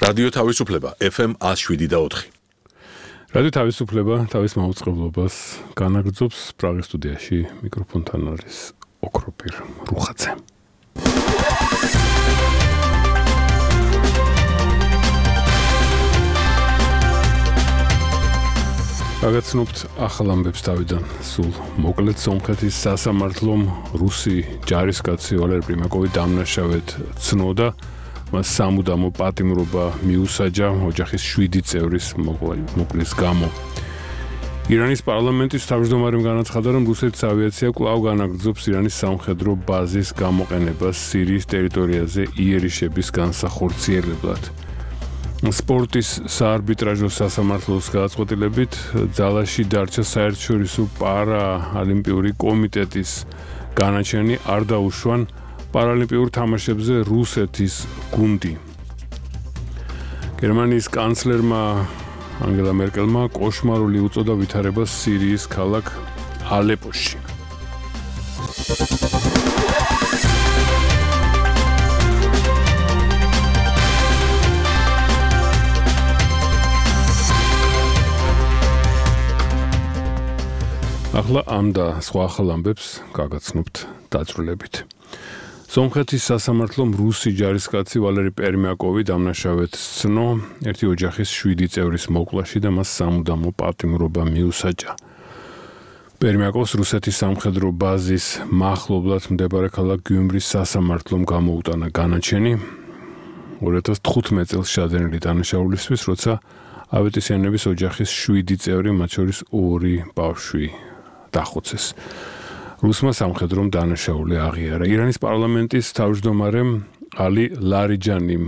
რადიო თავისუფლება FM 107.4. რადიო თავისუფლება თავის მაუწყებლობას განაგრძობს პრაღის სტუდიაში მიკროფონთან არის ოქროპირ რუხაძე. გაგაცნობთ ახალ ამბებს თავიდან სულ მოკლედ სომხეთის სასამართლომ რუსი ჯარისკაცი ვალერი პრიმაკოვი დამნაშავედ ცნოდა მას სამუდამო პატიმრობა მიუსაჯა ოჯახის 7 წევრის მოკლის გამო. ირანის პარლამენტის თავმჯდომარემ განაცხადა, რომ რუსეთის ავიაცია კვლავ განაგრძობს ირანის სამხედრო ბაზის გამოყენებას სირიის ტერიტორიაზე იერიშების განსახორციელებლად. სპორტის საარბიტრაჟო სასამართლოს გადაწყვეტილებით ძალაში დარჩა საერთაშორისო პარაოლიმპიური კომიტეტის განაჩენი არ დაუშვან პარალიმპიურ თამაშებზე რუსეთის გუნდი. გერმანიის კანცლერმა ანგელა მერკელმა კოშმარული უწოდა ვითარებას სირიის ქალაქ ალეპოში. ახლა ამ და სხვა ახალ ამბებს გაგაცნობთ დაწვრილებით. სომხეთის სასამართლომ რუსი ჯარისკაცი ვალერი პრიმაკოვი დამნაშავედ ცნო ერთი ოჯახის 7 წევრის მოკვლაში და მას სამუდამო პატიმრობა მიუსაჯა. პრიმაკოვს რუსეთის სამხედრო ბაზის მახლობლად მდებარე ქალაქ გიუმრის სასამართლომ გამოუტანა განაჩენი 2015 წელს შადენილი დანაშაულისთვის, როცა ავეტისიანების ოჯახის 7 წევრი, მათ შორის 2 ბავშვი დახოცეს. რუსმა სამხედრომ დანაშაული აღიარა. ირანის პარლამენტის თავმჯდომარემ ალი ლარიჯანიმ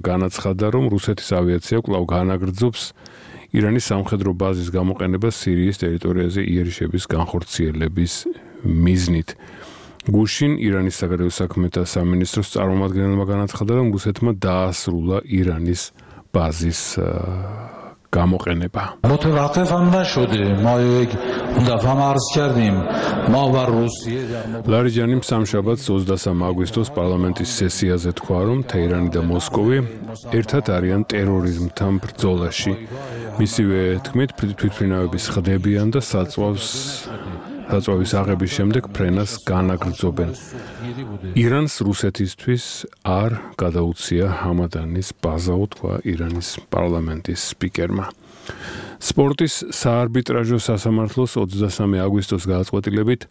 განაცხადა, რომ რუსეთის ავიაცია კვლავ განაგრძობს ირანის სამხედრო ბაზის გამოყენებას სირიის ტერიტორიაზე იერიშების განხორციელების მიზნით. გუშინ ირანის საგარეო საქმეთა სამინისტროს წარმომადგენელმა განაცხადა, რომ რუსეთმა დაასრულა ირანის ბაზის გამოყენება. ლარიჯანიმ სამშაბათს 23 აგვისტოს პარლამენტის სესიაზე თქვა, რომ თეირანი და მოსკოვი ერთად არიან ტერორიზმთან ბრძოლაში. მისივე თქმით, თვითმფრინავების ხდებიან და საწვავის აღების შემდეგ ფრენას განაგრძობენ. ირანს რუსეთისთვის არ გადაუცია ჰამადანის ბაზა, თქვა ირანის პარლამენტის სპიკერმა. სპორტის საარბიტრაჟო სასამართლოს 23 აგვისტოს გადაწყვეტილებით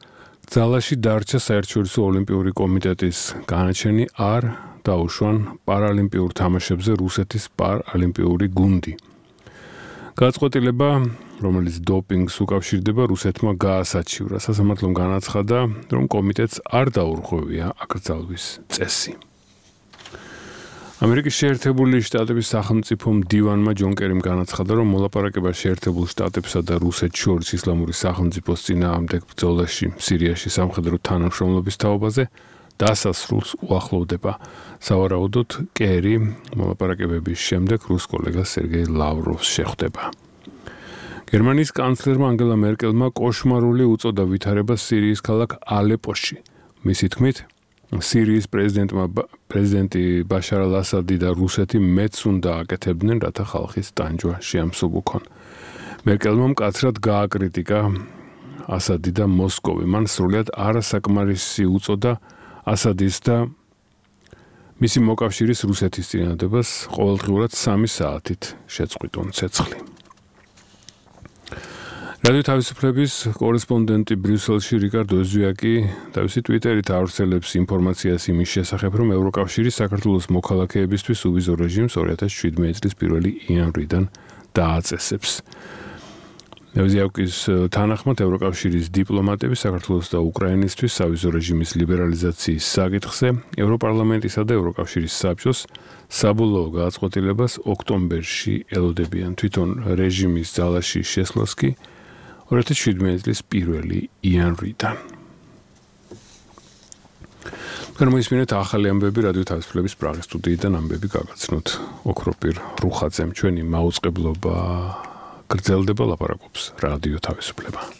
ძალაში დარჩა საერთაშორისო ოლიმპიური კომიტეტის განაჩენი არ დაუშვან პარალიმპიურ თამაშებზე რუსეთის პარალიმპიური გუნდი. გადაწყვეტილება, რომელიც დოპინგს უკავშირდება, რუსეთმა გაასაჩივრა. სასამართლომ განაცხადა, რომ კომიტეტს არ დაურღვევია აკრძალვის წესი. ამერიკის შეერთებული შტატების სახელმწიფო მდივანმა ჯონ კერიმ განაცხადა, რომ მოლაპარაკება შეერთებულ შტატებსა და რუსეთს შორის ისლამური სახელმწიფოს წინააღმდეგ ბრძოლაში სირიაში სამხედრო თანამშრომლობის თაობაზე დასასრულს უახლოვდება. სავარაუდოდ კერი მოლაპარაკებების შემდეგ რუს კოლეგას სერგეი ლავროვს შეხვდება. გერმანიის კანცლერმა ანგელა მერკელმა კოშმარული უწოდა ვითარებას სირიის ქალაქ ალეპოში. მისი თქმით, სირიის პრეზიდენტი ბაშარ ალ-ასადი და რუსეთი მეც უნდა აკეთებდნენ, რათა ხალხის ტანჯვა შეამსუბუქონ. მერკელმა მკაცრად გააკრიტიკა ასადი და მოსკოვი. მან სრულად არასაკმარისი უწოდა ასადის და მისი მოკავშირის რუსეთის წინადადებას ყოველდღიურად 3 საათით შეწყვიტონ ცეცხლი. რადიო თავისუფლების კორესპონდენტი ბრიუსელში რიკარდო ეზვიაკი თავისი ტვიტერით ავრცელებს ინფორმაციას იმის შესახებ, რომ ევროკავშირი საქართველოს მოქალაქეებისთვის უვიზო რეჟიმს 2017 წლის 1 იანვრიდან დააწესებს. ეზვიაკის თანახმად ევროკავშირის დიპლომატები საქართველოს და უკრაინისთვის სავიზო რეჟიმის ლიბერალიზაციის საკითხზე ევროპარლამენტისა და ევროკავშირის საბჭოს საბოლოო გადაწყვეტილებას ოქტომბერში ელოდებიან. თვითონ რეჟიმის ძალაში შესვლას კი 2017 წლის 1 იანვრიდან. გამოისმინეთ ახალი ამბები რადიო თავისუფლების პრაღის სტუდიიდან ამბები გაგაცნოთ ოქროპირ რუხაძემ. ჩვენი მაუწყებლობა გრძელდება, ლაპარაკობს რადიო თავისუფლება.